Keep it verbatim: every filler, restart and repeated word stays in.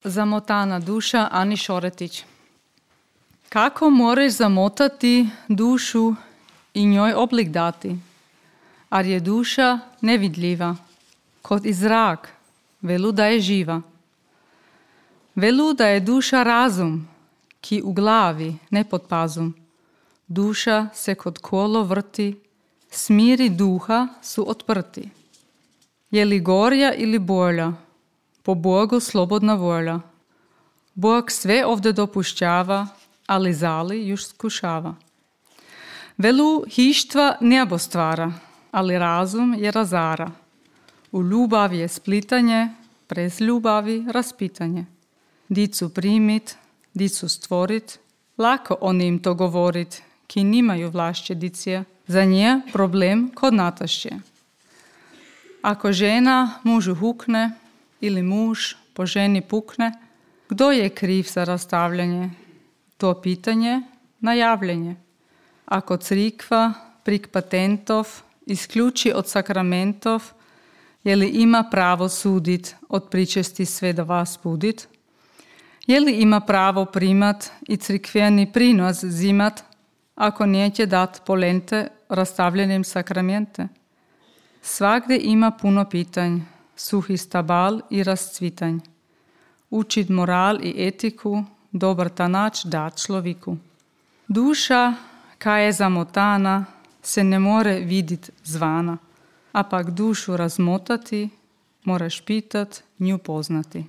Zamotana duša, Ani Šoretić. Kako moraš zamotati dušu i njoj oblik dati? Ar je duša nevidljiva, kot i zrak, velu da je živa. Velu da je duša razum, ki u glavi, ne pod pazum. Duša se kod kolo vrti, smiri duha su otprti. Je li gorja ili bolja? Po Bogu slobodna volja. Bog sve ovdje dopušćava, ali zali još skušava. Velu hištva nebo stvara, ali razum je razara. U ljubavi je splitanje, prez ljubavi raspitanje. Dicu primit, dicu stvorit, lako oni im to govorit, ki nimaju vlašće dicije. Za nje problem kod natašće. Ako žena mužu hukne ili muž po ženi pukne, kdo je kriv za rastavljanje? To pitanje najavljenje. Ako crikva prik patentov isključi od sakramentov, je li ima pravo sudit od pričesti sve do vas budit? Je li ima pravo primat i crikveni prinos zimat, ako neće dat polente rastavljenim sakramente? Svagdje ima puno pitanj, suhi stabal i rascvitanj. Učit moral i etiku, dobar tanač dat človeku. Duša, kaj je zamotana, se ne more vidit zvana, a pak dušu razmotati, moraš pitat, nju poznati.